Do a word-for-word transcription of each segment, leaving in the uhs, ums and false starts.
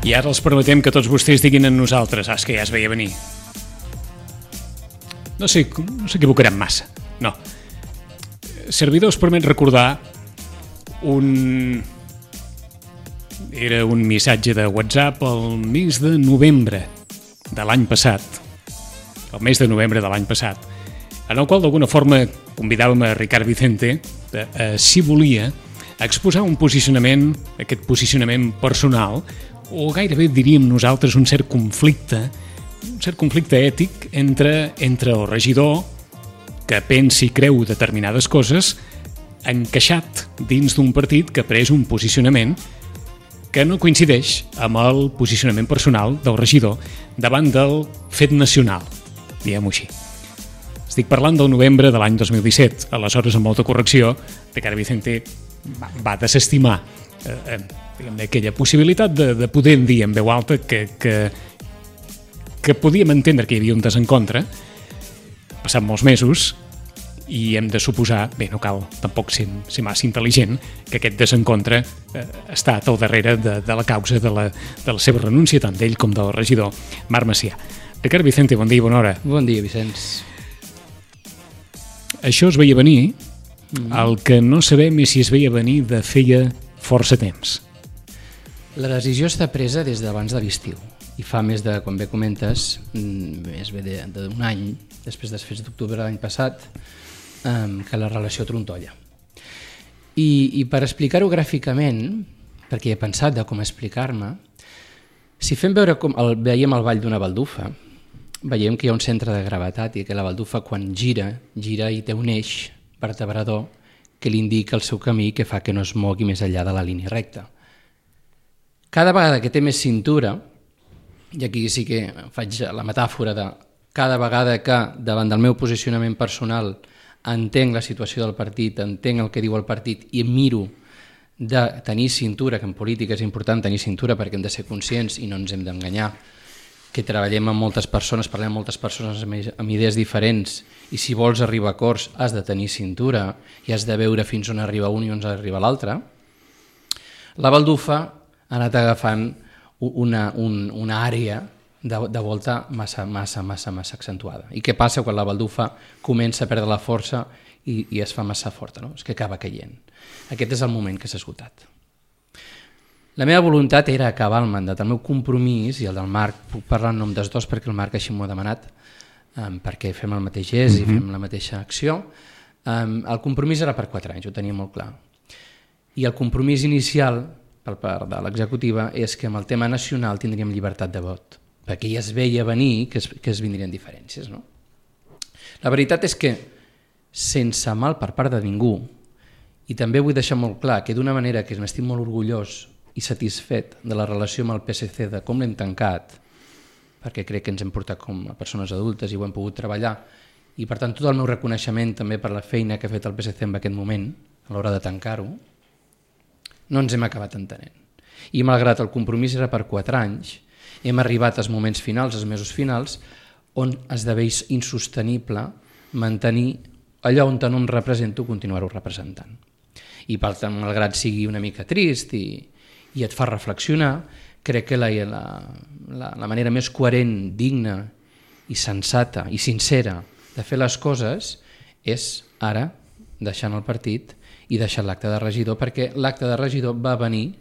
I ara els permetem que tots vostès diguin en nosaltres, ah, és que ja es veia venir. No sé, no s'equivocaran massa, no. Servidors permet recordar un... Era un missatge de WhatsApp el mes de novembre de l'any passat, el mes de novembre de l'any passat, en el qual d'alguna forma convidàvem a Ricard Vicente, de, eh, si volia, a exposar un posicionament, aquest posicionament personal, o gairebé diríem nosaltres un cert conflicte, un cert conflicte ètic entre, entre el regidor que pensa i creu determinades coses encaixat dins d'un partit que ha pres un posicionament que no coincideix amb el posicionament personal del regidor davant del fet nacional, diguem-ho així. Estic parlant del novembre de l'any dos mil disset. Aleshores, amb molta correcció, Ricard Vicente va, va desestimar eh, diguem, aquella possibilitat de, de poder dir en veu alta que, que, que podíem entendre que hi havia un desencontre. Passat molts mesos i hem de suposar, bé, no cal tampoc ser, ser massa intel·ligent, que aquest desencontre eh, ha estat al darrere de, de la causa de la, de la seva renúncia, tant d'ell com del regidor Marc Macià. Ricard Vicente, bon dia i bona hora. Bon dia, Vicenç. Això es veia venir, mm. el que no sabem és si es veia venir de feia força temps. La decisió està presa des d'abans de l'estiu i fa més de, com bé comentes, més bé d'un any, després dels fets d'octubre de l'any passat, que la relació trontolla. I, i per explicar-ho gràficament, perquè he pensat de com explicar-me, si fem veure com el, veiem el ball d'una baldufa, veiem que hi ha un centre de gravetat i que la baldufa quan gira, gira i té un eix vertebrador que li indica el seu camí que fa que no es mogui més enllà de la línia recta. Cada vegada que té més cintura, i aquí sí que faig la metàfora de cada vegada que davant del meu posicionament personal entenc la situació del partit, entenc el que diu el partit i miro de tenir cintura, que en política és important tenir cintura perquè hem de ser conscients i no ens hem d'enganyar, que treballem amb moltes persones, parlem amb moltes persones amb idees diferents i si vols arribar a acords has de tenir cintura i has de veure fins on arriba un i on arriba l'altre. La baldufa ha anat agafant una, un, una àrea de, de volta massa, massa, massa, massa accentuada. I què passa quan la baldufa comença a perdre la força i, i es fa massa forta, no? És que acaba caient. Aquest és el moment que s'ha esgotat. La meva voluntat era acabar el mandat. El meu compromís, i el del Marc, puc parlar en nom dels dos perquè el Marc així m'ho ha demanat, um, perquè fem el mateix gest mm-hmm. i fem la mateixa acció. Um, el compromís era per quatre anys, ho tenia molt clar. I el compromís inicial, per part de l'executiva, és que amb el tema nacional tindríem llibertat de vot, perquè ja es veia venir que es, que es vindrien diferències. No? La veritat és que, sense mal per part de ningú, i també vull deixar molt clar que d'una manera que m'estic molt orgullós i satisfet de la relació amb el P S C, de com l'hem tancat, perquè crec que ens hem portat com a persones adultes i ho hem pogut treballar, i per tant tot el meu reconeixement també per la feina que ha fet el P S C en aquest moment, a l'hora de tancar-ho, no ens hem acabat entenent. I malgrat el compromís era per quatre anys, hem arribat als moments finals, als mesos finals, on esdevé insostenible mantenir allò on no em represento, continuar-ho representant. I per tant, malgrat sigui una mica trist i, i et fa reflexionar, crec que la, la, la, la manera més coherent, digna i sensata i sincera de fer les coses és ara deixant el partit i deixant l'acte de regidor, perquè l'acte de regidor va venir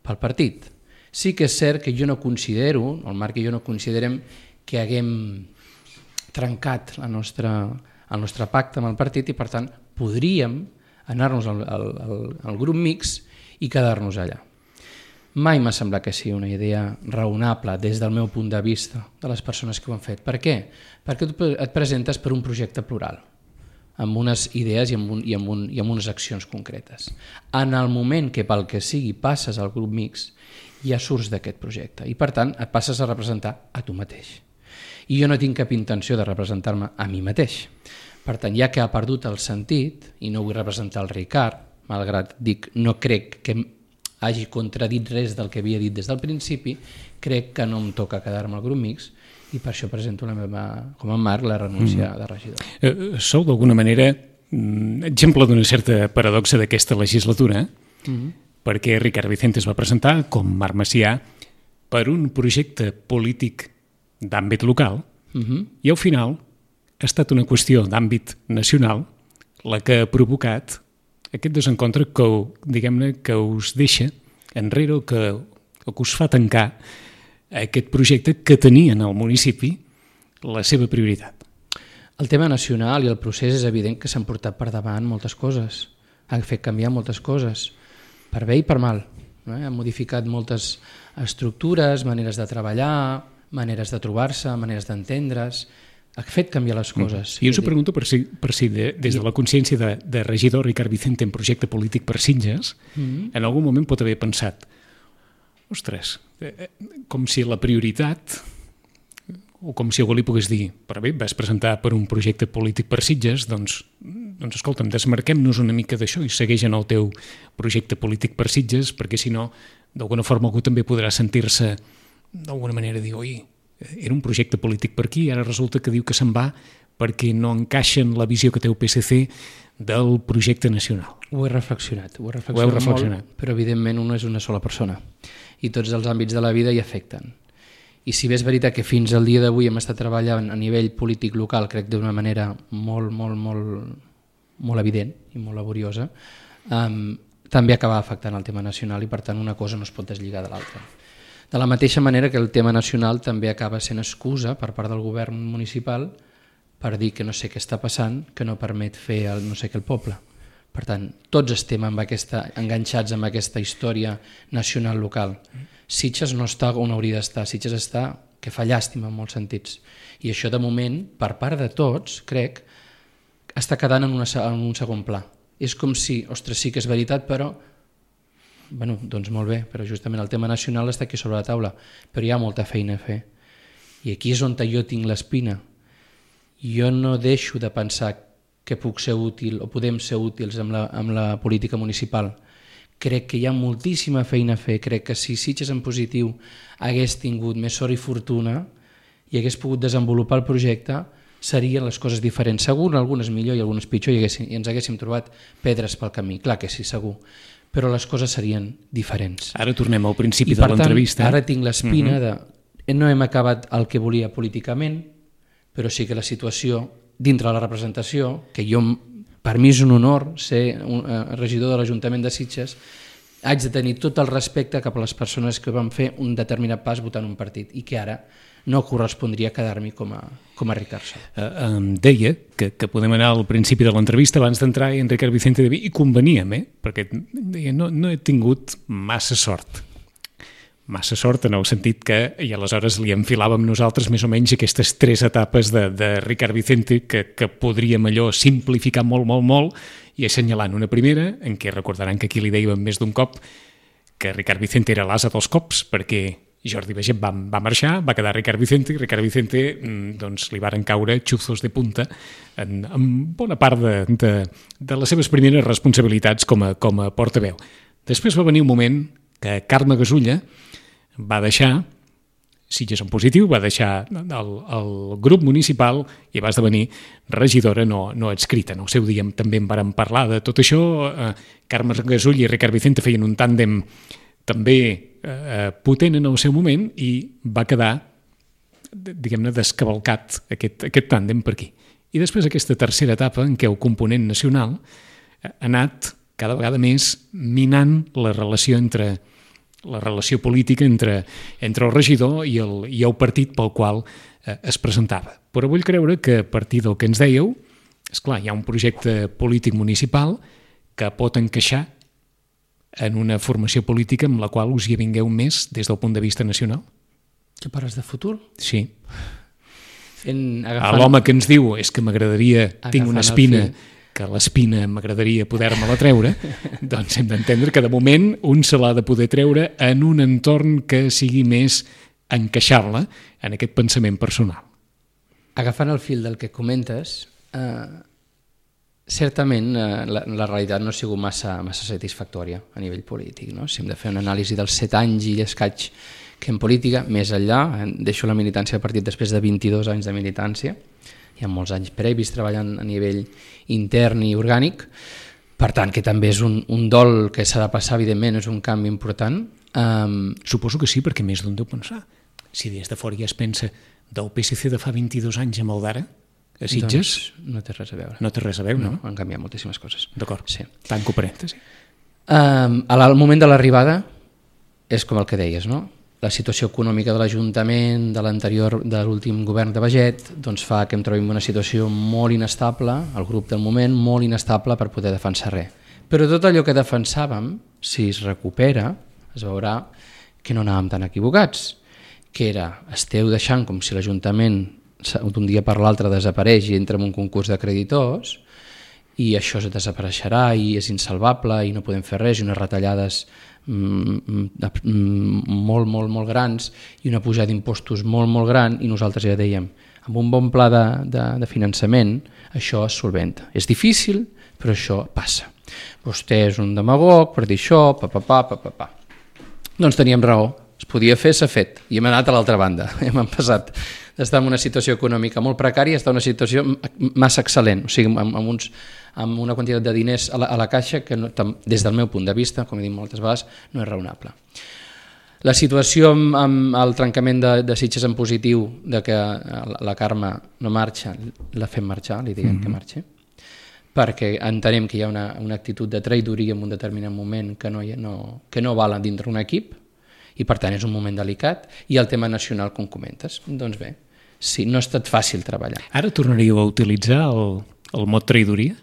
pel partit. Sí que és cert que jo no considero, el Marc i jo no considerem que haguem trencat la nostra, el nostre pacte amb el partit i per tant podríem anar-nos al, al, al, al grup mixt i quedar-nos allà. Mai m'ha semblat que sigui una idea raonable des del meu punt de vista de les persones que ho han fet. Per què? Perquè tu et presentes per un projecte plural, amb unes idees i amb, un, i, amb un, i amb unes accions concretes. En el moment que pel que sigui passes al grup mixt, ja surts d'aquest projecte i per tant et passes a representar a tu mateix. I jo no tinc cap intenció de representar-me a mi mateix. Per tant, ja que ha perdut el sentit, i no vull representar el Ricard, malgrat dic no crec que hagi contradit res del que havia dit des del principi, crec que no em toca quedar-me al grup mixt i per això presento la meva, com a Marc, la renúncia mm. de regidor. Eh, sou d'alguna manera exemple d'una certa paradoxa d'aquesta legislatura, mm-hmm. perquè Ricard Vicente es va presentar com Marc Macià per un projecte polític d'àmbit local uh-huh. i al final ha estat una qüestió d'àmbit nacional la que ha provocat aquest desencontre que, diguem-ne, que us deixa enrere o que, o que us fa tancar aquest projecte que tenia en el municipi la seva prioritat. El tema nacional i el procés és evident que s'han portat per davant moltes coses, han fet canviar moltes coses, per bé i per mal. No? Han modificat moltes estructures, maneres de treballar, maneres de trobar-se, maneres d'entendre's, ha fet canviar les coses. I jo us ho pregunto per si, per si de, des de la consciència de, de regidor Ricard Vicente en projecte polític per Sitges, mm-hmm. en algun moment pot haver pensat, ostres, eh, com si la prioritat, o com si algú li pogués dir, però bé, vas presentar per un projecte polític per Sitges, doncs, doncs escolta'm, desmarquem-nos una mica d'això i segueix en el teu projecte polític per Sitges, perquè si no, d'alguna forma algú també podrà sentir-se d'alguna manera dir, oi, era un projecte polític per aquí i ara resulta que diu que se'n va perquè no encaixa en la visió que té el P S C del projecte nacional. Ho he reflexionat, ho he reflexionat, ho heu reflexionat. molt, però evidentment un és una sola persona i tots els àmbits de la vida hi afecten. I si bé és veritat que fins al dia d'avui hem estat treballant a nivell polític local, crec d'una manera molt, molt, molt, molt evident i molt laboriosa, um, també acaba afectant el tema nacional i per tant una cosa no es pot deslligar de l'altra. De la mateixa manera que el tema nacional també acaba sent excusa per part del govern municipal per dir que no sé què està passant, que no permet fer el no sé què el poble. Per tant, tots estem amb aquesta, enganxats amb aquesta història nacional local. Sitges no està on hauria d'estar, Sitges està que fa llàstima en molts sentits. I això de moment, per part de tots, crec, està quedant en, una, en un segon pla. És com si, ostres, sí que és veritat, però bueno, doncs molt bé, però justament el tema nacional està aquí sobre la taula, però hi ha molta feina a fer. I aquí és on jo tinc l'espina. Jo no deixo de pensar que puc ser útil o podem ser útils amb la, amb la política municipal. Crec que hi ha moltíssima feina a fer, crec que si Sitges en positiu hagués tingut més sort i fortuna i hagués pogut desenvolupar el projecte, serien les coses diferents. Segur, algunes millor i algunes pitjor i, haguéssim, i ens haguéssim trobat pedres pel camí, clar que sí, segur. Però les coses serien diferents. Ara tornem al principi I, de l'entrevista. Ara tinc l'espina uh-huh. de no hem acabat el que volia políticament, però sí que la situació dintre de la representació, que jo, per mi és un honor ser un, uh, regidor de l'Ajuntament de Sitges, haig de tenir tot el respecte cap a les persones que van fer un determinat pas votant un partit i que ara no correspondria quedar-m'hi com a, com a Ricard Sol. Uh, em deia que, que podem anar al principi de l'entrevista abans d'entrar en Ricard Vicente de Vi i conveníem, eh? Perquè deia, no, no he tingut massa sort. Massa sort en el sentit que i aleshores li enfilàvem nosaltres més o menys aquestes tres etapes de, de Ricard Vicente que, que podríem allò simplificar molt, molt, molt i assenyalant una primera en què recordaran que aquí li dèiem més d'un cop que Ricard Vicente era l'ase dels cops perquè Jordi Baiget va, va marxar, va quedar Ricard Vicente i Ricard Vicente doncs, li varen caure xuzos de punta en, en bona part de, de, de les seves primeres responsabilitats com a, com a portaveu. Després va venir un moment que Carme Gasulla va deixar Sitges en positiu, va deixar el, el grup municipal i va esdevenir regidora no, no adscrita. En el seu dia també en vàrem parlar de tot això. Eh, Carme Gasulla i Ricard Vicente feien un tàndem també eh, potent en el seu moment i va quedar, diguem-ne, descavalcat aquest, aquest tàndem per aquí. I després aquesta tercera etapa en què el component nacional ha anat cada vegada més minant la relació entre la relació política entre, entre el regidor i el, i el partit pel qual eh, es presentava. Però vull creure que a partir del que ens dèieu, esclar, hi ha un projecte polític municipal que pot encaixar en una formació política amb la qual us hi vingueu més des del punt de vista nacional? Que parles de futur? Sí. En, agafant... L'home que ens diu és que m'agradaria, tinc una espina, que l'espina m'agradaria poder-me-la treure, doncs hem d'entendre que de moment un se l'ha de poder treure en un entorn que sigui més encaixar-la en aquest pensament personal. Agafant el fil del que comentes, eh, certament eh, la, la realitat no ha sigut massa, massa satisfactòria a nivell polític. No? Si hem de fer una anàlisi dels set anys i escaig que en política, més enllà, deixo la militància de partit després de vint-i-dos anys de militància, hi ha molts anys previs treballant a nivell intern i orgànic, per tant que també és un, un dol que s'ha de passar, evidentment, és un canvi important. Um, Suposo que sí, perquè més d'un deu pensar. Si des de fora ja es pensa del P S C de fa vint-i-dos anys amb el d'ara, a Sitges, doncs no té res a veure. no té res a veure, no? No, han canviat moltíssimes coses. D'acord, Sí. tanco parèntesi. Um, al moment de l'arribada és com el que deies, no? La situació econòmica de l'Ajuntament, de l'anterior, de l'últim govern de Baget, doncs fa que em trobi en una situació molt inestable, el grup del moment, molt inestable per poder defensar res. Però tot allò que defensàvem, si es recupera, es veurà que no anàvem tan equivocats, que era, esteu deixant com si l'Ajuntament d'un dia per l'altre desapareix i entra en un concurs de creditors i això es desapareixerà i és insalvable i no podem fer res i unes retallades molt, molt, molt grans i una pujada d'impostos molt, molt gran i nosaltres ja dèiem, amb un bon pla de, de, de finançament això es solventa. És difícil, però això passa. Vostè és un demagog per dir això, pa, pa, pa, pa, pa, pa. Doncs teníem raó, es podia fer, s'ha fet, i hem anat a l'altra banda, hem passat d'estar en una situació econòmica molt precària a estar en una situació massa excel·lent, o sigui, amb, amb, uns, amb una quantitat de diners a la, a la caixa que no, des del meu punt de vista, com he dit moltes vegades, no és raonable. La situació amb, amb el trencament de, de Sitges en positiu, de que la Carme no marxa, la fem marxar, li diguem mm-hmm. que marxi, perquè entenem que hi ha una, una actitud de traïdoria en un determinat moment que no, no, que no val dintre un equip, i per tant és un moment delicat, i el tema nacional, com comentes. Doncs bé, sí, no ha estat fàcil treballar. Ara tornaríeu a utilitzar el, el mot traïdoria?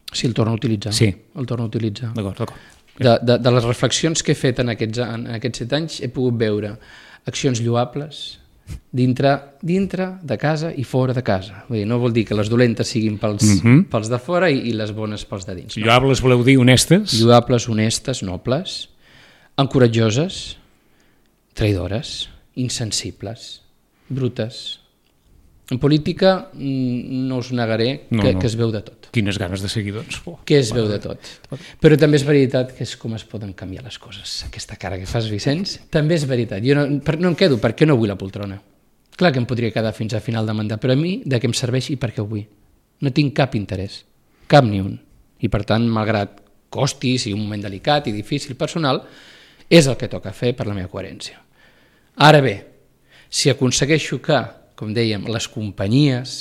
Sí, el torno a utilitzar. Sí. El torno a utilitzar. D'acord, d'acord. De, de, de les reflexions que he fet en aquests, en aquests set anys he pogut veure accions lloables dintre, dintre de casa i fora de casa. Vull dir, no vol dir que les dolentes siguin pels, mm-hmm. pels de fora i, i les bones pels de dins. No? Lloables voleu dir honestes? Lloables, honestes, nobles, encoratjoses, traïdores, insensibles, brutes. En política no us negaré que, no, no. que es veu de tot. Quines ganes de seguir, doncs. Oh, que es veu de tot. Però també és veritat que és com es poden canviar les coses. Aquesta cara que fas, Vicenç, també és veritat. Jo no, no em quedo perquè no vull la poltrona. Clar que em podria quedar fins a final de mandat, però a mi de què em serveix i per què ho vull? No tinc cap interès, cap ni un. I per tant, malgrat costi, sigui un moment delicat i difícil personal, és el que toca fer per la meva coherència. Ara bé, si aconsegueixo que, com dèiem, les companyies,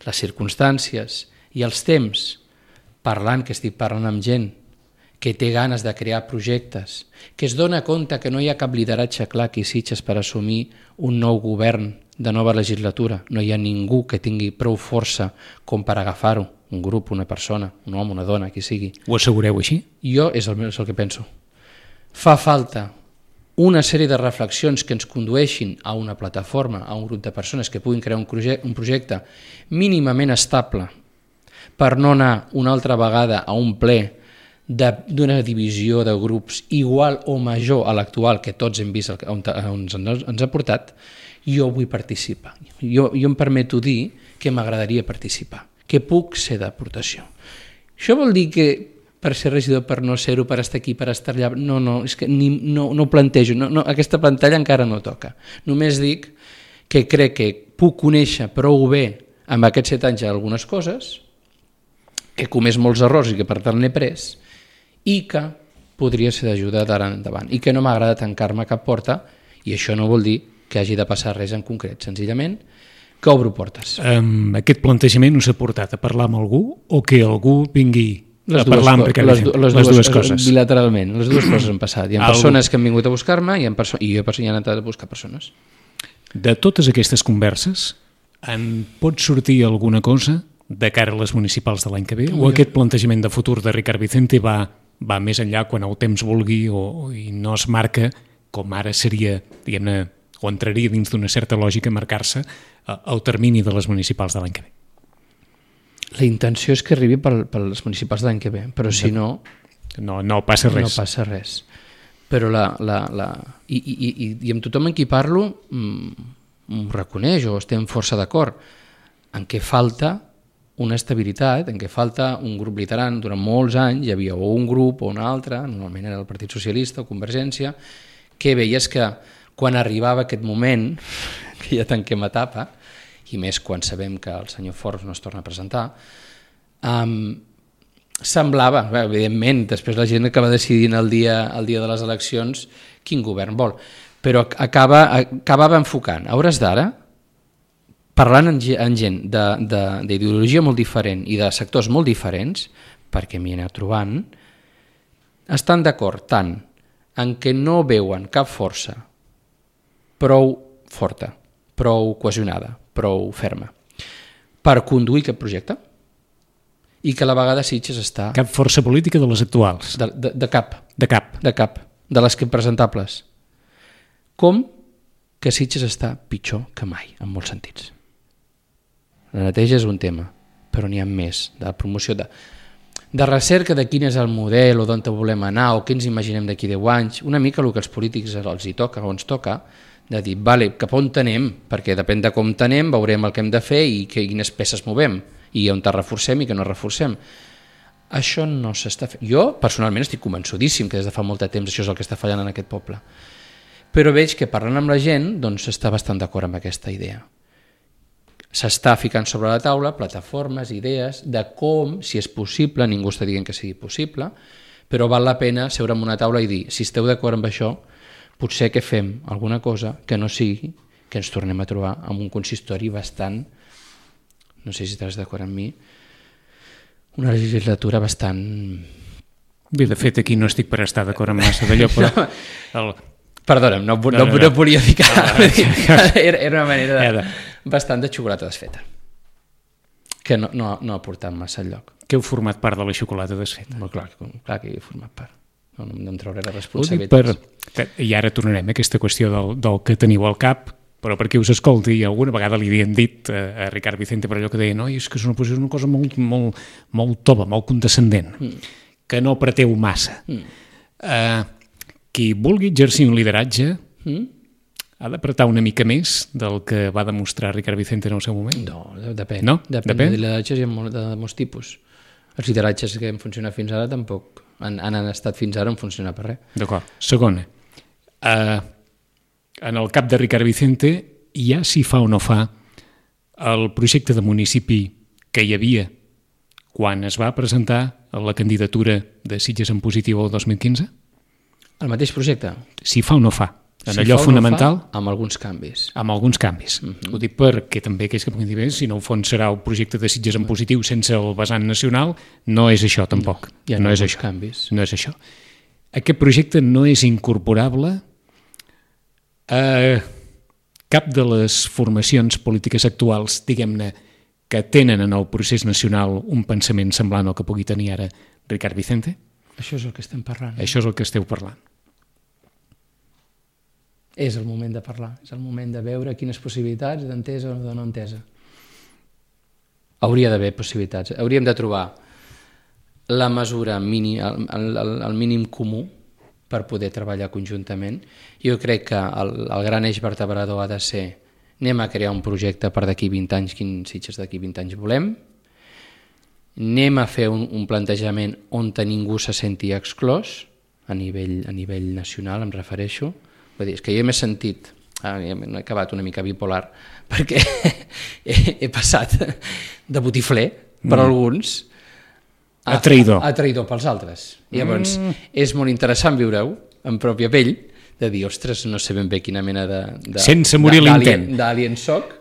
les circumstàncies i els temps, parlant, que estic parlant amb gent que té ganes de crear projectes, que es dona compte que no hi ha cap lideratge clar aquí a Sitges per assumir un nou govern de nova legislatura, no hi ha ningú que tingui prou força com per agafar-ho, un grup, una persona, un home, una dona, qui sigui. Ho assegureu així? Jo és el, és el que penso. Fa falta una sèrie de reflexions que ens condueixin a una plataforma, a un grup de persones que puguin crear un projecte, un projecte mínimament estable per no anar una altra vegada a un ple d'una divisió de grups igual o major a l'actual que tots hem vist on, on ens ha portat. Jo vull participar. Jo, jo em permeto dir que m'agradaria participar, que puc ser d'aportació. Això vol dir que per ser regidor, per no ser-ho, per estar aquí, per estar allà... No, no, és que ni, no, no ho plantejo, no, no, aquesta pantalla encara no toca. Només dic que crec que puc conèixer prou bé amb aquests set anys algunes coses, que he comès molts errors i que per tant n'he pres, i que podria ser d'ajuda d'ara endavant, i que no m'agrada tancar-me a cap porta, i això no vol dir que hagi de passar res en concret, senzillament que obro portes. Um, aquest plantejament us ha portat a parlar amb algú o que algú vingui les a parlar amb Ricard Vicente? Les, les, les dues, dues coses. Bilateralment, les dues coses han passat. Hi ha Algú... persones que han vingut a buscar-me i, perso i jo he anat a buscar persones. De totes aquestes converses, en pot sortir alguna cosa de cara a les municipals de l'any que ve? O jo... aquest plantejament de futur de Ricard Vicente va, va més enllà quan el temps vulgui o, i no es marca com ara seria, diguem-ne, o entraria dins d'una certa lògica marcar-se el termini de les municipals de l'any que ve? La intenció és que arribi per, per les municipals de l'any que ve, però si no... No, no passa res. No passa res. Però la... la, la i, i, i, I amb tothom en qui parlo m'ho reconeix o estem força d'acord en què falta una estabilitat, en què falta un grup liderant. Durant molts anys hi havia o un grup o un altre, normalment era el Partit Socialista o Convergència, que veies que quan arribava aquest moment, que ja tanquem etapa, i més quan sabem que el senyor Forbes no es torna a presentar, um, semblava, bé, evidentment, després la gent acaba decidint el dia, el dia de les eleccions quin govern vol, però acaba, acabava enfocant. A hores d'ara, parlant amb gent d'ideologia molt diferent i de sectors molt diferents, perquè m'hi he anat trobant, estan d'acord tant en què no veuen cap força prou forta, prou cohesionada, prou ferma, per conduir aquest projecte, i que a la vegada Sitges està... Cap força política de les actuals. De, de, de cap. De cap. De cap. De les que presentables. Com que Sitges està pitjor que mai, en molts sentits. La neteja és un tema, però n'hi ha més, de promoció de, de recerca de quin és el model o d'on volem anar o què ens imaginem d'aquí deu anys, una mica el que els polítics els hi toca o ens toca, de dir, vale, cap on tenem, perquè depèn de com tenem, veurem el que hem de fer i que, quines peces movem, i on te reforcem i que no reforcem. Això no s'està fent. Jo, personalment, estic convençudíssim que des de fa molt de temps això és el que està fallant en aquest poble. Però veig que parlant amb la gent, doncs està bastant d'acord amb aquesta idea. S'està ficant sobre la taula plataformes, idees de com, si és possible, ningú està dient que sigui possible, però val la pena seure en una taula i dir, si esteu d'acord amb això, potser que fem alguna cosa que no sigui que ens tornem a trobar amb un consistori bastant, no sé si estàs d'acord amb mi, una legislatura bastant... Bé, de fet, aquí no estic per estar d'acord amb massa d'allò, però... No, el... Perdona'm, no, no, no, no, no volia ficar... No, era, era una manera de, bastant de xocolata desfeta, que no, no, no ha portat massa enlloc. Que heu format part de la xocolata desfeta? Molt clar, clar que he format part. No, no em trauré la responsabilitat. Per... I ara tornarem a aquesta qüestió del, del que teniu al cap, però perquè us escolti, alguna vegada li havien dit a Ricard Vicente per allò que deia, no, és que és una, és una cosa molt, molt, molt tova, molt condescendent, mm. que no apreteu massa. Mm. Uh, qui vulgui exercir un lideratge mm. ha d'apretar una mica més del que va demostrar Ricard Vicente en el seu moment? No, depèn. No? Depèn, depèn? de lideratges hi ha molt, de molts tipus. Els lideratges que han funcionat fins ara tampoc han, han estat fins ara en funcionar per res. D'acord. Segona, uh, en el cap de Ricard Vicente ja s'hi fa o no fa el projecte de municipi que hi havia quan es va presentar la candidatura de Sitges en positiu el dos mil quinze? El mateix projecte? S'hi fa o no fa? En si allò fa fonamental? No fa, amb alguns canvis. Amb alguns canvis. Uh -huh. Ho dic perquè també aquells que puguin dir, bé, si no, al fons serà el projecte de Sitges en positiu sense el vessant nacional, no és això tampoc. No, no és això. Canvis. No és això. Aquest projecte no és incorporable a cap de les formacions polítiques actuals, diguem-ne, que tenen en el procés nacional un pensament semblant al que pugui tenir ara Ricard Vicente? Això és el que estem parlant. Això és el que esteu parlant. És el moment de parlar, és el moment de veure quines possibilitats d'entesa o de no entesa. Hauria d'haver possibilitats. Hauríem de trobar la mesura, mini, el, el, el mínim comú per poder treballar conjuntament. Jo crec que el, el gran eix vertebrador ha de ser anem a crear un projecte per d'aquí vint anys, quins Sitges d'aquí vint anys volem, anem a fer un, un plantejament on ningú se senti exclòs, a nivell, a nivell nacional em refereixo. Vull dir, és que jo m'he sentit, ah, he acabat una mica bipolar, perquè he, he passat de botifler per mm. alguns a, a traïdor. A, a traïdor pels altres. I llavors mm. és molt interessant viure-ho en pròpia pell, de dir, ostres, no sé ben bé quina mena de... de sense morir l'intent. D'alien soc,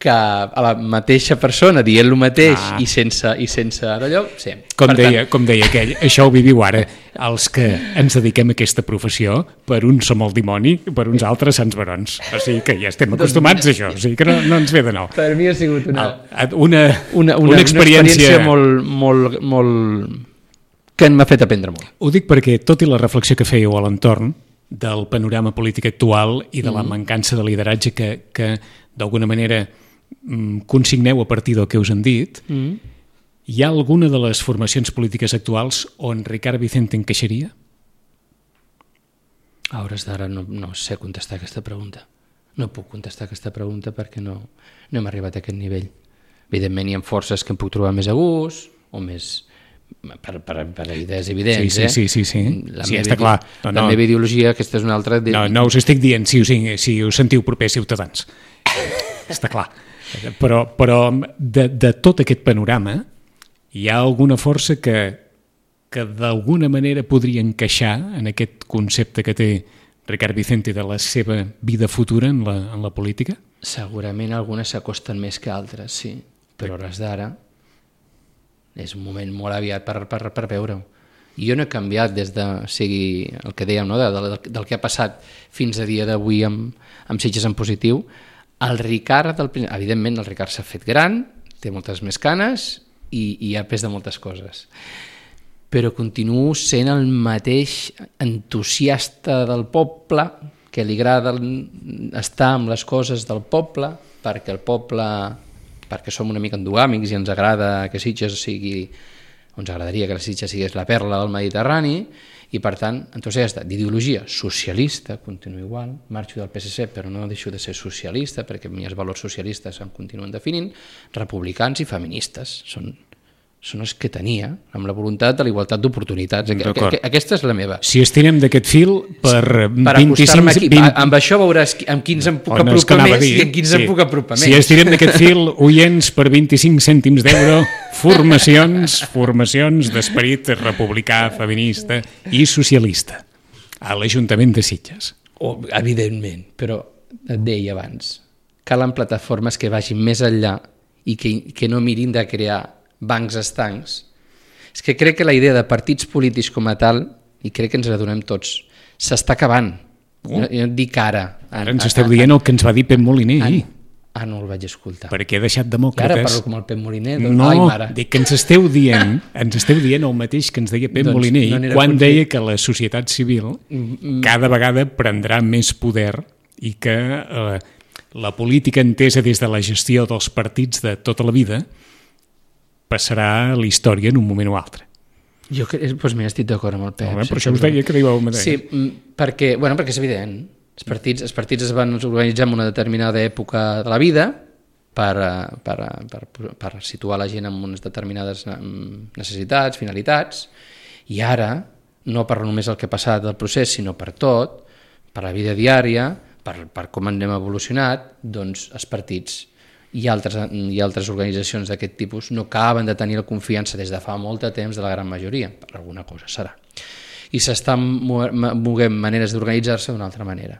que a la mateixa persona dient el mateix ah. i sense, i sense d'allò, sí. Com deia, tant... com deia aquell, això ho viviu ara. Els que ens dediquem a aquesta professió, per uns som el dimoni, per uns altres sants barons. O sigui que ja estem acostumats a això, o sigui que no, no ens ve de nou. Per mi ha sigut una... Una, una, una, una experiència... Una experiència molt, molt, molt... que m'ha fet aprendre molt. Ho dic perquè, tot i la reflexió que fèieu a l'entorn del panorama polític actual i de la mancança de lideratge que, que d'alguna manera consigneu a partir del que us han dit, mm. hi ha alguna de les formacions polítiques actuals on Ricard Vicente encaixaria? A hores d'ara no, no sé contestar aquesta pregunta. No puc contestar aquesta pregunta perquè no, no hem arribat a aquest nivell. Evidentment hi ha forces que em puc trobar més a gust o més... Per, per, per idees evidents, sí, sí, sí, sí, sí. La, sí, meva, està clar. No, la no. meva ideologia, aquesta és una altra... De... No, no us estic dient si us, si us sentiu propers ciutadans. Està clar. Però, però de, de tot aquest panorama hi ha alguna força que que d'alguna manera podria encaixar en aquest concepte que té Ricard Vicente de la seva vida futura en la, en la política? Segurament algunes s'acosten més que altres, sí, però hores d'ara és un moment molt aviat per, per, per veure-ho. I jo no he canviat des de, o sigui, el que dèiem, no? de, de, del que ha passat fins a dia d'avui amb, amb Sitges en positiu. El Ricard, del, evidentment, el Ricard s'ha fet gran, té moltes més canes i, i ha pres de moltes coses. Però continuo sent el mateix entusiasta del poble, que li agrada estar amb les coses del poble, perquè el poble, perquè som una mica endogàmics i ens agrada que Sitges sigui, ens agradaria que la Sitges sigués la perla del Mediterrani, i per tant, entusiasta d'ideologia socialista, continuo igual, marxo del P S C però no deixo de ser socialista perquè els valors socialistes em continuen definint, republicans i feministes, són, són els que tenia, amb la voluntat de la igualtat d'oportunitats. Aquesta és la meva. Si estirem d'aquest fil per, per vint-i-cinc... Aquí, vint... Amb això veuràs amb quins em puc apropar més i amb quins sí. em puc apropar menys. Si estirem d'aquest fil, oients, per vint-i-cinc cèntims d'euro, formacions, formacions d'esperit republicà, feminista i socialista a l'Ajuntament de Sitges. Oh, evidentment, però et deia abans, calen plataformes que vagin més enllà i que, que no mirin de crear bancs estancs. És que crec que la idea de partits polítics com a tal, i crec que ens l'adonem tots, s'està acabant. Oh. Jo, jo et dic ara. Ara ens esteu dient el que ens va dir Pep Moliner ahir. Ah, no el vaig escoltar. Perquè he deixat demòcrates... I ara parlo com el Pep Moliner. Doncs, no, ai, mare. dic que ens esteu dient ens esteu dient el mateix que ens deia Pep doncs, Moliner no quan conscient. Deia que la societat civil mm, cada vegada prendrà més poder i que eh, la política entesa des de la gestió dels partits de tota la vida passarà a la història en un moment o altre. Jo doncs mira, estic d'acord amb el Pep. No, per això us deia que arribava el mateix. Sí, perquè, bueno, perquè és evident. Els partits, els partits es van organitzar en una determinada època de la vida per, per, per, per situar la gent en unes determinades necessitats, finalitats, i ara, no per només el que ha passat del procés, sinó per tot, per la vida diària, per, per com anem evolucionat, doncs els partits i altres, i altres organitzacions d'aquest tipus no acaben de tenir la confiança des de fa molt de temps de la gran majoria, per alguna cosa serà. I s'estan moguent maneres d'organitzar-se d'una altra manera.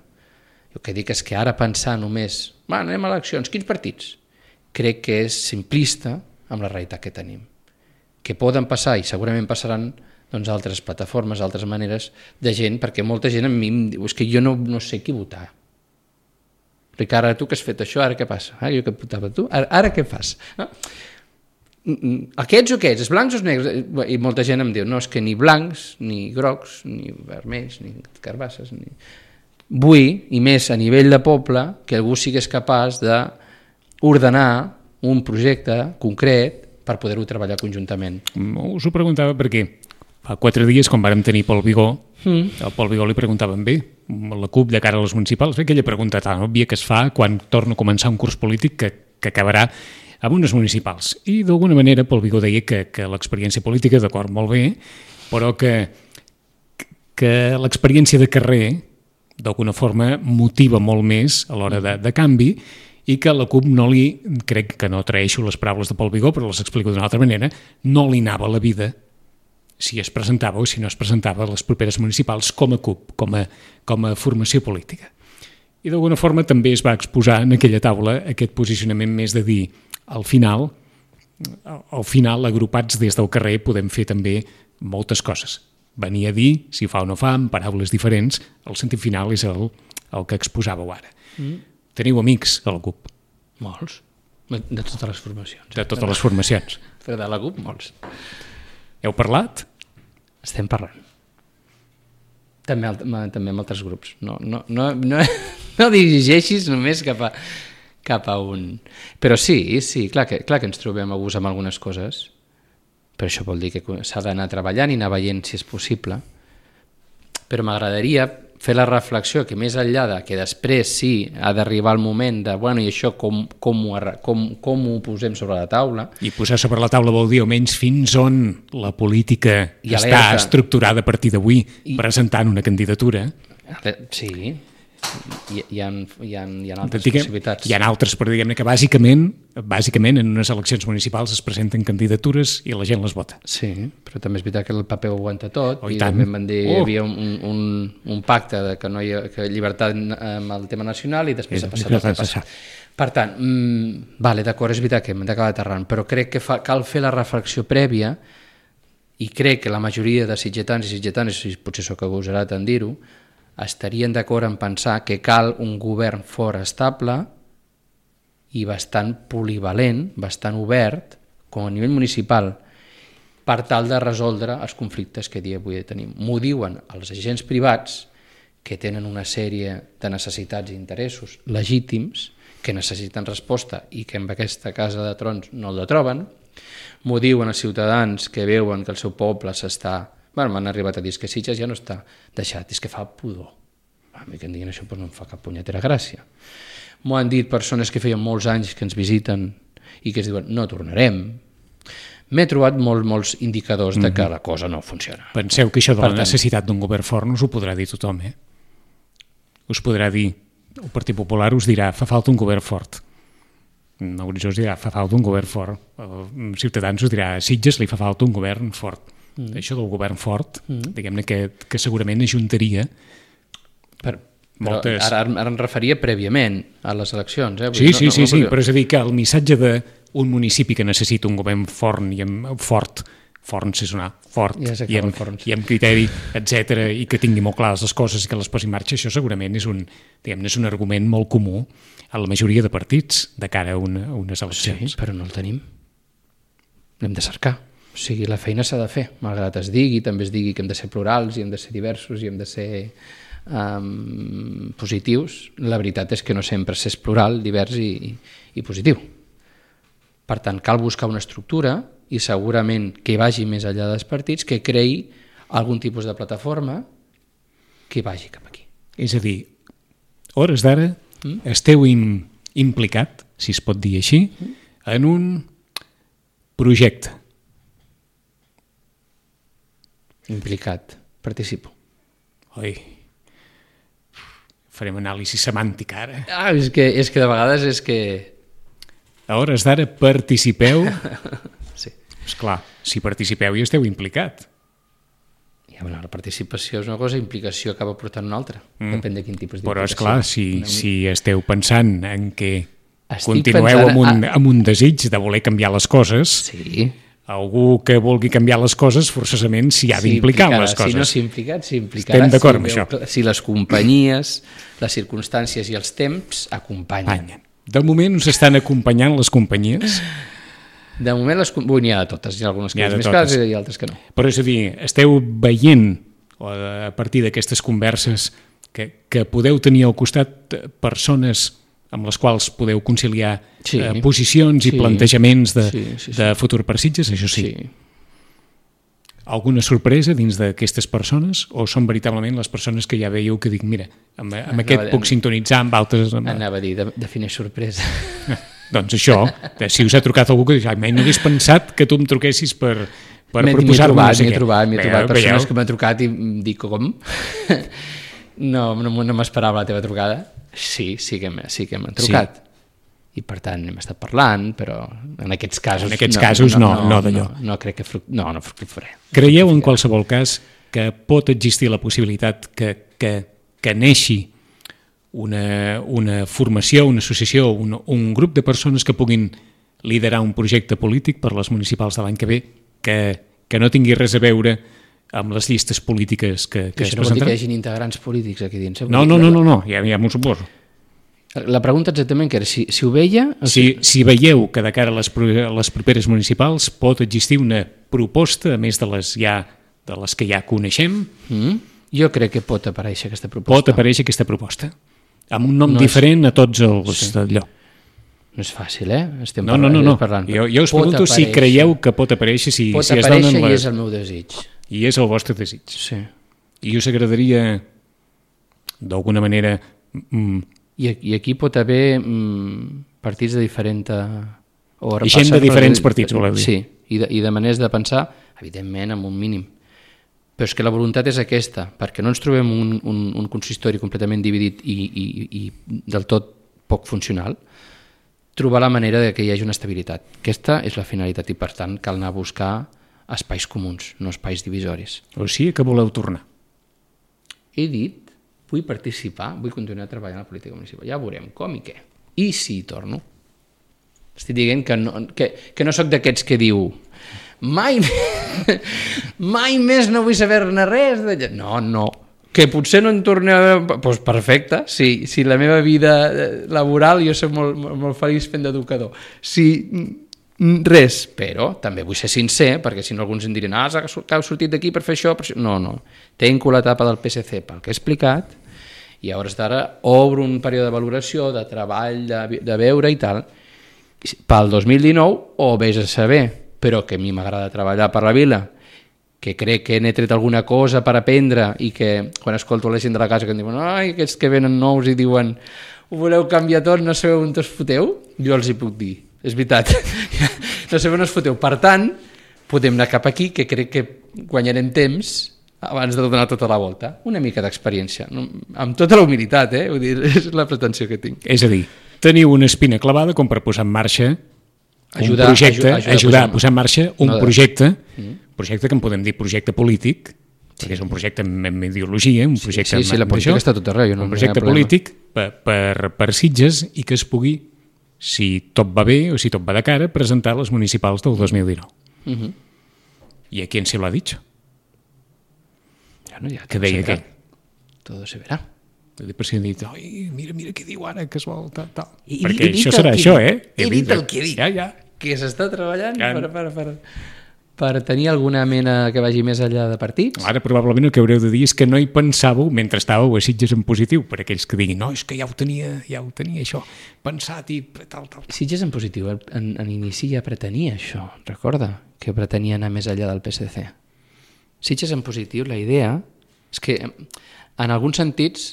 El que dic és que ara pensar només, bueno, anem a eleccions, quins partits? Crec que és simplista amb la realitat que tenim. Que poden passar, i segurament passaran, doncs, altres plataformes, altres maneres de gent, perquè molta gent a mi em diu, és que jo no, no sé qui votar. Ricard, ara tu que has fet això, ara què passa? Ah, jo que votava tu, ara, ara què fas? No? Aquests o aquests, els blancs o els negres? I molta gent em diu, no, és que ni blancs, ni grocs, ni vermells, ni carbasses, ni... Vull, i més a nivell de poble, que algú sigués capaç d'ordenar un projecte concret per poder-ho treballar conjuntament. Us ho preguntava perquè fa quatre dies, quan vàrem tenir Pol Vigó, mm. el Pol Vigó li preguntaven bé, la CUP de cara a les municipals, bé, aquella pregunta tan òbvia que es fa quan torna a començar un curs polític que, que acabarà amb unes municipals. I d'alguna manera Pol Vigó deia que, que l'experiència política, d'acord, molt bé, però que, que l'experiència de carrer d'alguna forma motiva molt més a l'hora de, de canvi i que la CUP no li, crec que no traeixo les paraules de Pol Vigó, però les explico d'una altra manera, no li anava la vida si es presentava o si no es presentava a les properes municipals com a CUP, com a, com a formació política. I d'alguna forma també es va exposar en aquella taula aquest posicionament més de dir, al final, al final agrupats des del carrer podem fer també moltes coses. Venir a dir, si fa o no fa, amb paraules diferents, el sentit final és el, el que exposàveu ara. Mm. Teniu amics a la CUP? Molts. De totes les formacions. De totes les formacions. Però de la CUP, molts. Heu parlat? Estem parlant. També, també amb altres grups. No, no, no, no, no dirigeixis només cap a, cap a un... Però sí, sí, clar que, clar que ens trobem a gust amb algunes coses. Però això vol dir que s'ha d'anar treballant i anar veient si és possible. Però m'agradaria fer la reflexió que més enllà de que després sí ha d'arribar el moment de, bueno, i això com, com, ho, com, com ho posem sobre la taula. I posar sobre la taula vol dir almenys fins on la política I està alerta. Estructurada a partir d'avui I... presentant una candidatura. Sí. hi, hi, ha, hi, ha, hi ha altres Diguem, possibilitats. hi ha altres, però diguem-ne que bàsicament, bàsicament en unes eleccions municipals es presenten candidatures i la gent les vota. Sí, però també és veritat que el paper ho aguanta tot, Oh, i, i i tant. també van dir que Oh. hi havia un, un, un pacte de que no hi ha que llibertat amb el tema nacional i després Sí, ha passat sí, el que ha sí, sí. passat. Per tant, mmm, vale, d'acord, és veritat que hem d'acabar aterrant, però crec que fa, cal fer la reflexió prèvia i crec que la majoria de sitgetans i sitgetanes, i potser sóc agosarat en dir-ho, estarien d'acord en pensar que cal un govern fort estable i bastant polivalent, bastant obert, com a nivell municipal, per tal de resoldre els conflictes que dia avui tenim. M'ho diuen els agents privats que tenen una sèrie de necessitats i interessos legítims, que necessiten resposta i que en aquesta casa de trons no el troben. M'ho diuen els ciutadans que veuen que el seu poble s'està... Bueno, m'han arribat a dir que Sitges ja no està deixat, és que fa pudor. A mi que em diguin això doncs no em fa cap punyetera gràcia. M'ho han dit persones que feien molts anys que ens visiten i que es diuen no tornarem. M'he trobat molt, molts indicadors de que la cosa no funciona. Penseu que això de Per la tant- necessitat d'un govern fort no us ho podrà dir tothom, eh? Us podrà dir, el Partit Popular us dirà, fa falta un govern fort. Horitzó us dirà, fa falta un govern fort. El Ciutadans us dirà, a Sitges li fa falta un govern fort. Mm. Això del govern fort, mm. diguem-ne que, que segurament ajuntaria Per, però moltes... ara, ara em referia prèviament a les eleccions. Eh? Vull Sí, dir, sí, no, sí, no, sí, no, però és a dir que el missatge d'un municipi que necessita un govern fort i amb, fort, fort és una fort, Ja sé que i, amb, vol forns. i amb criteri, etcètera, i que tingui molt clares les coses i que les posi en marxa, això segurament és un, diguem-ne, és un argument molt comú a la majoria de partits de cara a, una, a unes Sí, eleccions. però no el tenim. L'hem de cercar. O sigui, la feina s'ha de fer, malgrat es digui, també es digui que hem de ser plurals i hem de ser diversos i hem de ser um, positius. La veritat és que no sempre s'és plural, divers i, i, i positiu. Per tant, cal buscar una estructura i segurament que vagi més enllà dels partits, que creï algun tipus de plataforma que vagi cap aquí. És a dir, a hores d'ara mm? esteu im, implicat, si es pot dir així, mm? en un projecte. Implicat, participo. Oi, farem anàlisi semàntica ara. Ah, és que, és que de vegades és que... A hores d'ara participeu. Sí. Esclar, si participeu i esteu implicat. Ja, bueno, la participació és una cosa, implicació acaba portant una altra. Mm. Depèn de quin tipus d'implicació. Però, esclar, si, si esteu pensant en que Estic continueu pensant amb un, a- amb un desig de voler canviar les coses, Sí. algú que vulgui canviar les coses forçosament s'hi ha d'implicar en les coses. Si no s'ha implicat, s'hi implicarà. Estem d'acord amb si això. veu- Si les companyies, les circumstàncies i els temps acompanyen. Acompanyen. De moment us estan acompanyant les companyies, De moment, les, com- Ui, n'hi ha de totes. Hi ha algunes que N'hi ha és de més totes. clares i altres que no. però és a dir, esteu veient o a partir d'aquestes converses que, que podeu tenir al costat eh, persones amb les quals podeu conciliar Sí. eh, posicions i Sí. plantejaments de, Sí, sí, sí. de futur per Sitges, això sí. Sí. Alguna sorpresa dins d'aquestes persones o són veritablement les persones que ja veieu que dic, mira, amb, amb Anava aquest a- puc sintonitzar, amb altres... Amb... Anava a dir, de, defineix sorpresa. Doncs això, eh, si us ha trucat algú que diu, "Ai, mai no hagués pensat que tu em truquessis per, per M'he- m'he proposar-me trobat, no sé m'he què." trobat, m'he Veieu, trobat persones veieu? que m'han trucat i em dic, com? no, no, no m'esperava la teva trucada. Sí, sí que, m'he- sí que m'han trucat. Sí. I per tant hem estat parlant, però en aquests casos... En aquests casos no, no d'allò. No, no crec que... Fruc... No, no fructifaré. Creieu en qualsevol cas que pot existir la possibilitat que, que, que neixi una, una formació, una associació, un, un grup de persones que puguin liderar un projecte polític per les municipals de l'any que ve que, que no tingui res a veure amb les llistes polítiques que, que es Això no vol dir que hi presentaran? hagi integrants polítics aquí dins. Eh? Vull No, dir no, que no, no, no, ja, ja m'ho suposo. La pregunta exactament que era, si, si ho veia... O Si, si veieu que de cara a les, pro- a les properes municipals pot existir una proposta, a més de les, ja, de les que ja coneixem, Mm? Jo crec que pot aparèixer aquesta proposta. pot aparèixer aquesta proposta, amb un nom No no és- diferent a tots els Sí. d'allò. No és fàcil, eh? Estem No, no, no, no. parlant. Jo, jo us Pot pregunto si aparèixer. creieu que pot aparèixer, si, Pot si es aparèixer donen i les... és el meu desig. I és el vostre desig. Sí. I us agradaria, d'alguna manera, mm, I, I aquí pot haver mm, partits de diferent... O I gent de repassar- diferents partits, voleu dir. Sí, i de, i de maneres de pensar, evidentment, amb un mínim. però és que la voluntat és aquesta, perquè no ens trobem un, un, un consistori completament dividit i, i, i del tot poc funcional, trobar la manera de que hi hagi una estabilitat. Aquesta és la finalitat i, per tant, cal anar a buscar espais comuns, no espais divisoris. O sigui que voleu tornar. He dit, vull participar, vull continuar treballant a la política municipal. Ja veurem com i què. I si torno? Estic dient que no, que, que no sóc d'aquests que diu mai, mai més no vull saber-ne res d'allà. No, no. Que potser no en torni a veure... Doncs perfecte, sí, si la meva vida laboral jo soc molt, molt feliç fent d'educador. Si res, però també vull ser sincer, perquè si no alguns em diran ah, que heu sortit d'aquí per fer això, per això. No, no, tenco l'etapa del P S C pel que he explicat i a hores d'ara obro un període de valoració, de treball, de, de veure i tal. Pel dos mil dinou, o vés a saber, però que a mi m'agrada treballar per la vila, que crec que n'he tret alguna cosa per aprendre i que quan escolto la gent de la casa que em diuen ai, aquests que venen nous i diuen ho voleu canviar tot, no sabeu on us foteu, jo els hi puc dir, és veritat, no sabeu on us foteu. Per tant, podem anar cap aquí, que crec que guanyarem temps abans de donar tota la volta. Una mica d'experiència, amb tota la humilitat, eh? Vull dir, és la pretensió que tinc. És a dir, teniu una espina clavada com per posar en marxa ajudar, un projecte, ajudar, ajudar, ajudar a posar en marxa un no projecte, mm. projecte que en podem dir projecte polític, sí. perquè és un projecte amb ideologia, un projecte sí, sí, sí, la política està tot arreu, no un projecte polític per, per, per Sitges i que es pugui, si tot va bé o si tot va de cara, presentar a les municipals del dos mil dinou. Mm-hmm. I a qui se l'ha dit? Bueno, ja que deia què? Todo se verá. Per si he dit, oi, mira, mira què diu ara, que es vol tal, tal. I, perquè i això serà això, eh? He dit el que he dit. Ja, ja. Que s'està treballant ja. per, per, per, per tenir alguna mena que vagi més enllà de partits. Ara probablement el que haureu de dir és que no hi pensàveu mentre estàveu a Sitges en positiu, per aquells que diguin, no, és que ja ho tenia, ja ho tenia això, pensat i tal, tal. Sitges en positiu, en, en inici ja pretenia això, recorda, que pretenia anar més enllà del P S C. Sitges en positiu, la idea és que en alguns sentits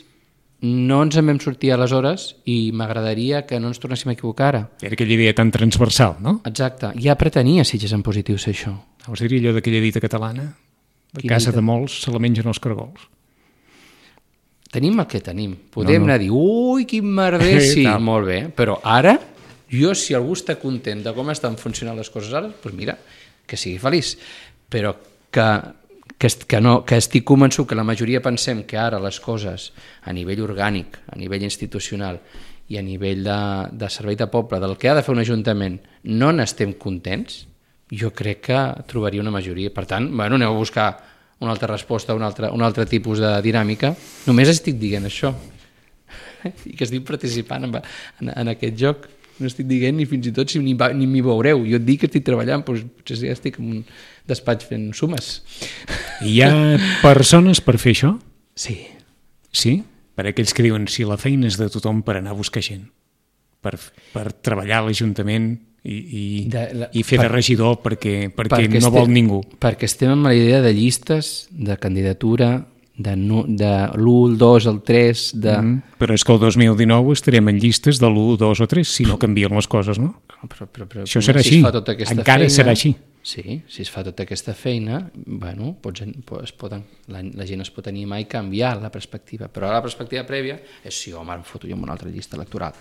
no ens en vam sortir aleshores i m'agradaria que no ens tornéssim a equivocar ara. Era aquella idea tan transversal, no? Exacte, ja pretenia Sitges en positiu ser això. Us diria allò d'aquella dita catalana, de Quina casa dita? de molts se la mengen els cargols. Tenim el que tenim, podem no, no. anar a dir ui, quin merder, sí, no. molt bé, però ara, jo si algú està content de com estan funcionant les coses ara, doncs mira, que sigui feliç, però que Que, que, no, que estic convençut que la majoria pensem que ara les coses a nivell orgànic, a nivell institucional i a nivell de, de servei de poble, del que ha de fer un ajuntament, no n'estem contents, jo crec que trobaria una majoria. Per tant, bueno, aneu a buscar una altra resposta, un altre, un altre tipus de dinàmica. Només estic dient això. I que estic participant en, en, en aquest joc. No estic dient ni fins i tot si ni, ni m'hi veureu. Jo et dic que estic treballant, doncs potser ja estic en un despatx fent sumes. Hi ha persones per fer això? Sí. Sí? Per aquells que diuen si la feina és de tothom per anar a buscar gent, per, per treballar a l'Ajuntament i, i, de, la, i fer per, de regidor perquè, perquè, perquè no estem, vol ningú. Perquè estem amb la idea de llistes, de candidatura, de, no, de l'u, el dos, el tres... De... Mm, però és que el dos mil dinou estarem en llistes de l'u, dos o tres, si no canvien les coses, no? Però, però, però, això serà si així, tota encara feina, serà així. Sí, si es fa tota aquesta feina, bueno, pots, es poden, la, la gent es pot animar i canviar la perspectiva, però la perspectiva prèvia és sí, home, em foto jo en una altra llista electoral.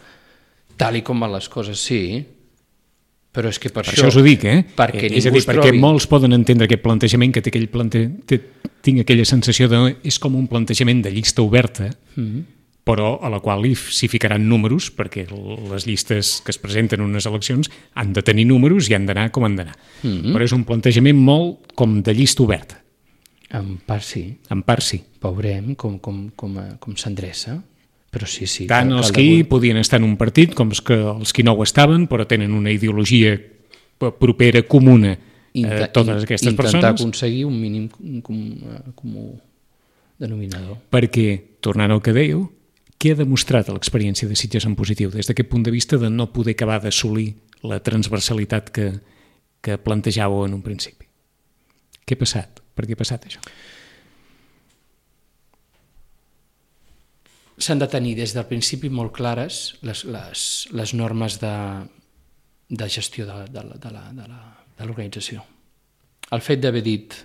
Tal i com van les coses, sí, però és que per, per això... això us ho dic, eh? Perquè és a dir, perquè trobi... molts poden entendre aquest plantejament, que té aquell plante... té, tinc aquella sensació de... és com un plantejament de llista oberta, mm-hmm. però a la qual s'hi ficaran números, perquè les llistes que es presenten en unes eleccions han de tenir números i han d'anar com han d'anar. Mm-hmm. Però és un plantejament molt com de llista oberta. En part sí. En part sí. Veurem com, com, com, com s'endreça. Però sí, sí. Tant els que hi podien estar en un partit com els que, els que no ho estaven, però tenen una ideologia propera, comuna a totes aquestes intentar persones. Intentar aconseguir un mínim comú, comú denominador. Perquè, tornant al que dèieu, què ha demostrat l'experiència de Sitges en positiu des d'aquest punt de vista de no poder acabar d'assolir la transversalitat que, que plantejàveu en un principi? Què ha passat? Per què ha passat això? S'han de tenir des del principi molt clares les, les, les normes de, de gestió de, de, de, la, de, la, de l'organització. El fet d'haver dit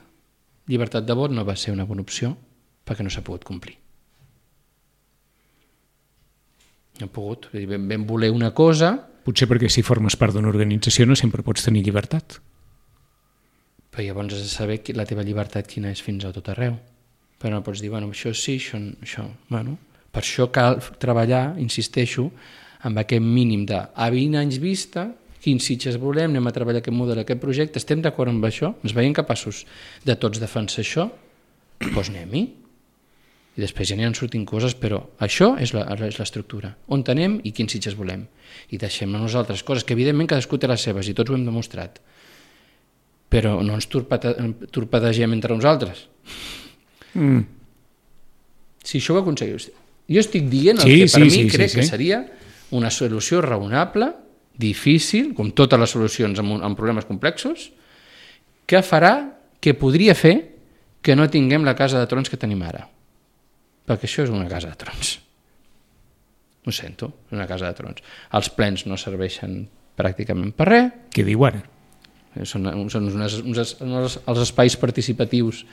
llibertat de vot no va ser una bona opció perquè no s'ha pogut complir. No ha pogut. Vam, vam voler una cosa... Potser perquè si formes part d'una organització no sempre pots tenir llibertat. Però llavors has de saber la teva llibertat quina és fins a tot arreu. Però no pots dir, bueno, això sí, això... això. Bueno, per això cal treballar, insisteixo, amb aquest mínim de a vint anys vista, quins Sitges volem, anem a treballar aquest model, aquest projecte, estem d'acord amb això? Ens veiem capaços de tots defensar això? Doncs anem-hi. I després ja aniran sortint coses, però això és l'estructura. On anem i quins Sitges volem. I deixem a nosaltres coses que evidentment cadascú té les seves i tots ho hem demostrat. Però no ens torpedegem entre nosaltres. Mm. Si això ho aconseguiu... Jo estic dient el sí, que per sí, mi sí, crec sí, que sí. seria una solució raonable, difícil, com totes les solucions amb, amb problemes complexos, que farà, que podria fer que no tinguem la casa de trons que tenim ara. Perquè això és una casa de trons. Ho sento, és una casa de trons. Els plens no serveixen pràcticament per res. Què diu ara? Són, són unes, uns, uns, els espais participatius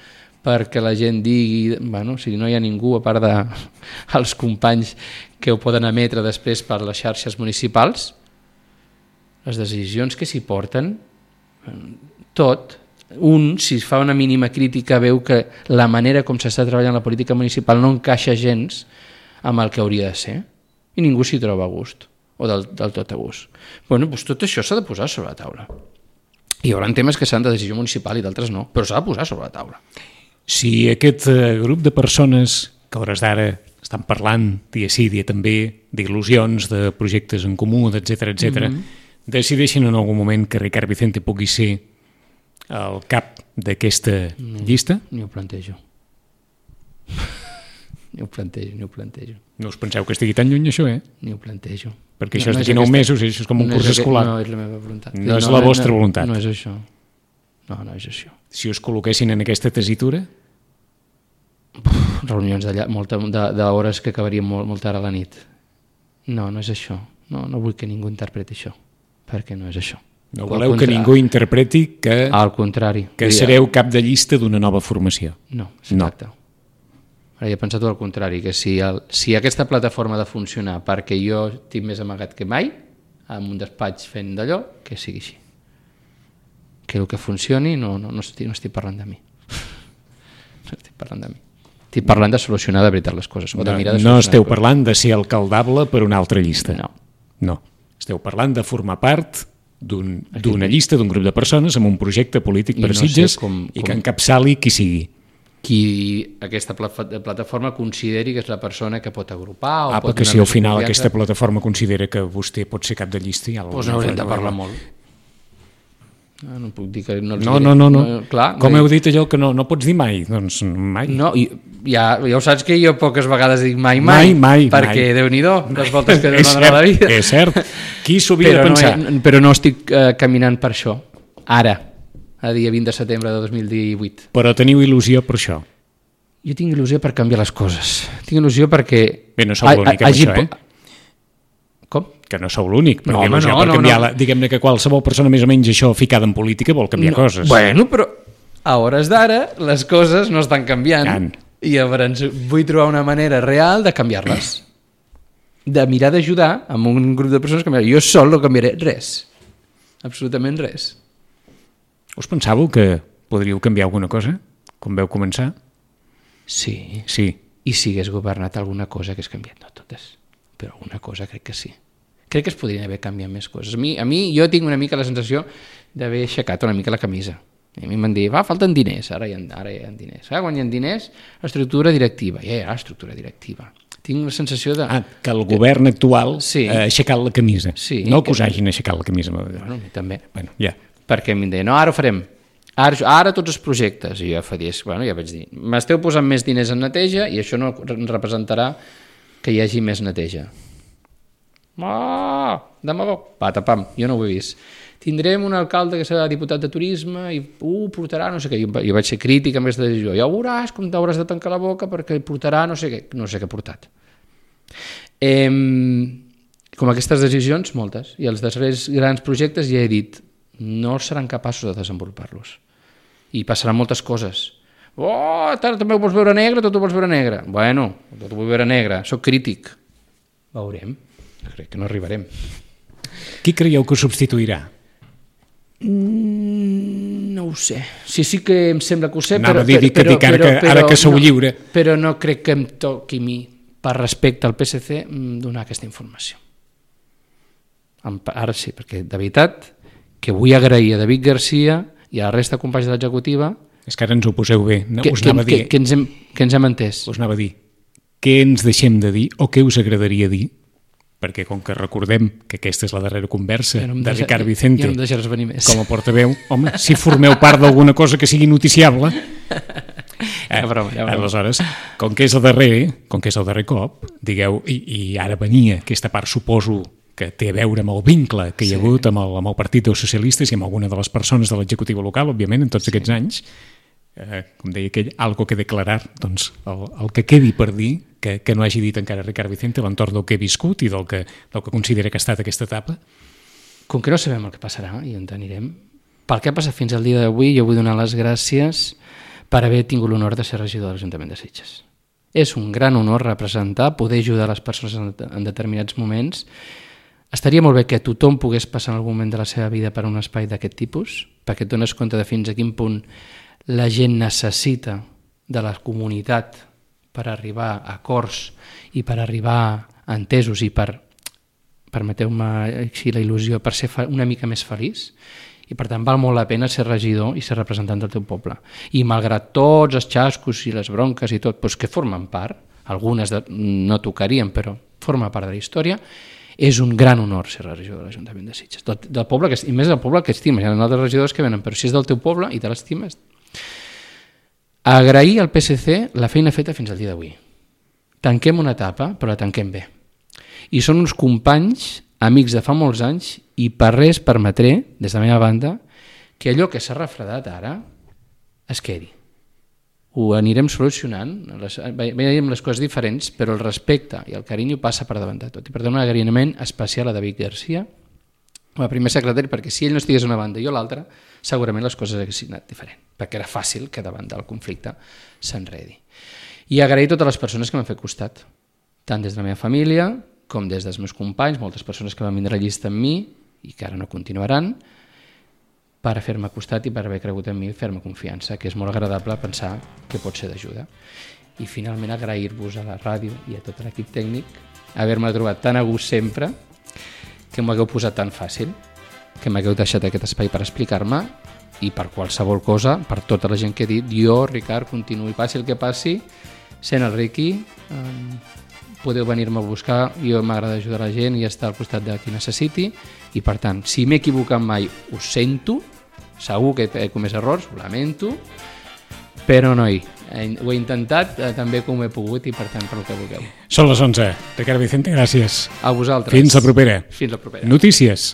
perquè la gent digui, bueno, si no hi ha ningú a part dels companys que ho poden emetre després per les xarxes municipals, les decisions que s'hi porten, tot, un, si fa una mínima crítica, veu que la manera com s'està treballant la política municipal no encaixa gens amb el que hauria de ser, i ningú s'hi troba a gust, o del, del tot a gust. Bueno, doncs tot això s'ha de posar sobre la taula. Hi haurà temes que seran de decisió municipal i d'altres no, però s'ha de posar sobre la taula. Si aquest eh, grup de persones que a hores d'ara estan parlant dia sí, dia també, d'il·lusions, de projectes en comú, etcètera, etcètera, mm-hmm. decideixen en algun moment que Ricard Vicente pugui ser el cap d'aquesta no, llista? Ni ho plantejo. Ni ho plantejo, ni ho plantejo. No us penseu que estigui tan lluny això, eh? Ni ho plantejo. Perquè això no, és d'aquí nou mesos, això és com un no curs escolar. No és la meva voluntat. No, no és la vostra no, voluntat. No és això. No, no és això. Si us col·loquessin en aquesta tessitura? Uf, reunions d'hores que acabarien molt, molt tard a la nit. No, no és això. No, no vull que ningú interpreti això, perquè no és això. No voleu que ningú interpreti que, al contrari, que sereu cap de llista d'una nova formació? No, exacte. No. Ara he pensat al contrari, que si, el, si aquesta plataforma ha de funcionar perquè jo tinc més amagat que mai, amb un despatx fent d'allò, que sigui així. Que el que funcioni no, no, no, estic, no estic parlant de mi. No estic parlant de mi. Estic parlant de solucionar de veritat les coses. O de mirar de no, no esteu parlant de ser alcaldable per una altra llista. No. No. Esteu parlant de formar part d'una un, llista, d'un grup de persones amb un projecte polític per no Sitges com, i com... que encapçali qui sigui. Qui aquesta plataforma consideri que és la persona que pot agrupar o ah, pot perquè si al final confiança... aquesta plataforma considera que vostè pot ser cap de llista ja doncs n'haurem de parlar molt. No, no puc dir que no els no, diré. No, no, no. no clar, com heu dit allò que no, no pots dir mai? Doncs mai. No, i, ja, ja ho saps que jo poques vegades dic mai, mai, mai, mai perquè mai. Déu-n'hi-do, les voltes que donen a la vida. És cert, qui s'ho havia de pensar? No, però no estic uh, caminant per això, ara, a dia vint de setembre de dos mil divuit. Però teniu il·lusió per això? Jo tinc il·lusió per canviar les coses. Tinc il·lusió perquè... Bé, no sou l'únic amb això, eh? Com? Que no sou l'únic, perquè no, il·lusió no, per canviar... no, no. La, diguem-ne que qualsevol persona més o menys això ficada en política vol canviar no, coses. Bueno, però a hores d'ara les coses no estan canviant. Can. I llavors vull trobar una manera real de canviar-les. De mirar d'ajudar amb un grup de persones que canviar. Jo sol no canviaré res. Absolutament res. Us pensàveu que podríeu canviar alguna cosa? Com veu començar? Sí. Sí. I si hagués governat alguna cosa que hagués canviat, no totes, però alguna cosa crec que sí. Crec que es podrien haver canviat més coses. A mi, a mi jo tinc una mica la sensació d'haver aixecat una mica la camisa. I a mi m'han dit, va, falten diners, ara hi ha, ara hi ha diners. Ah, quan hi ha diners, estructura directiva. Ja hi ha estructura directiva. Tinc la sensació de... Ah, que el govern actual sí. ha aixecat la camisa. Sí, no que us que... hagin aixecat la camisa. Bueno, a mi també. Bueno, ja. Perquè em deien, no, ara ho farem. Ara, ara tots els projectes. I jo fa dies, bueno, ja vaig dir, m'esteu posant més diners en neteja i això no representarà que hi hagi més neteja. Ah, demagó. Pata, pam, jo no ho he vist. Tindrem un alcalde que serà diputat de turisme i uh, portarà no sé què. Jo, jo vaig ser crític amb aquesta decisió. Ja veuràs com t'hauràs de tancar la boca perquè portarà no sé què. No sé què ha portat. Eh, com aquestes decisions, moltes. I els darrers grans projectes ja he dit, no seran capaços de desenvolupar-los. I passaran moltes coses. Oh, també ho vols veure negre, tot ho vols veure negre. Bueno, tot ho vull veure negre, soc crític. Veurem, crec que no arribarem. Qui creieu que ho substituirà? Mm, no ho sé. Sí, sí que em sembla que ho sé, Anava però, a dir, però, dic, però, ara, que, però, ara que sou no, lliure. Però no crec que em toqui a mi, per respecte al P S C, donar aquesta informació. Ara sí, perquè de veritat que vull agrair a David Garcia i a la resta de companys de l'executiva és que ara ens ho poseu bé. No, que, us anava que, a dir, que, ens hem, que ens hem entès. Us anava a dir què ens deixem de dir o què us agradaria dir, perquè com que recordem que aquesta és la darrera conversa no de deixa, Ricard Vicente ja no em deixaràs venir més. com a portaveu, home, si formeu part d'alguna cosa que sigui noticiable, eh, broma, ja broma. Aleshores, com que és el darrer, com que és el darrer cop, digueu, i, i ara venia aquesta part, suposo, que té a veure amb el vincle que hi ha sí. hagut amb el, amb el Partit dels Socialistes i amb alguna de les persones de l'executiva local, òbviament, en tots sí. aquests anys, eh, com deia aquell, algo que declarar, doncs el, el que quedi per dir, que, que no hagi dit encara Ricard Vicente, l'entorn del que he viscut i del que, del que considera que ha estat aquesta etapa. Com que no sabem el que passarà i on anirem, pel que ha passat fins al dia d'avui, jo vull donar les gràcies per haver tingut l'honor de ser regidor de l'Ajuntament de Sitges. És un gran honor representar, poder ajudar les persones en, en determinats moments. Estaria molt bé que tothom pogués passar en algun moment de la seva vida per un espai d'aquest tipus, perquè et dones compte de fins a quin punt la gent necessita de la comunitat per arribar a acords i per arribar a entesos i per, permeteu-me així la il·lusió, per ser una mica més feliç. I per tant val molt la pena ser regidor i ser representant del teu poble. I malgrat tots els xascos i les bronques i tot, doncs que formen part, algunes de, no tocarien, però forma part de la història, és un gran honor ser regidor de l'Ajuntament de Sitges. Del, del poble que, I més del poble que estimes. Hi ha altres regidors que venen, però si és del teu poble i te l'estimes. Agrair al P S C la feina feta fins al dia d'avui. Tanquem una etapa, però la tanquem bé. I són uns companys, amics de fa molts anys, i per res permetré, des de la meva banda, que allò que s'ha refredat ara es quedi. Ho anirem solucionant, les, veiem les coses diferents, però el respecte i el carinyo passa per davant de tot. I per tant un agraïment especial a David Garcia, com a primer secretari, perquè si ell no estigués una banda i jo l'altra, segurament les coses haguessin anat diferent, perquè era fàcil que davant del conflicte s'enredi. I agrair a totes les persones que m'han fet costat, tant des de la meva família com des dels meus companys, moltes persones que van vindre a llista amb mi i que ara no continuaran, per fer-me costat i per haver cregut en mi i fer-me confiança, que és molt agradable pensar que pot ser d'ajuda. I finalment agrair-vos a la ràdio i a tot l'equip tècnic haver-me trobat tan a gust sempre, que m'ho hagueu posat tan fàcil, que m'hagueu deixat aquest espai per explicar-me i per qualsevol cosa, per tota la gent que he dit, jo, Ricard, continuï, passi el que passi, sent el Riqui, eh, podeu venir-me a buscar, jo m'agrada ajudar la gent i estar al costat de qui necessiti, i per tant, si m'he equivocat mai, ho sento, segur que he comès errors, ho lamento, però noi, ho he intentat eh, també com he pogut i per tant per el que vulgueu. Són les onze. Ricard Vicente, gràcies. A vosaltres. Fins la propera. Fins la propera. Notícies.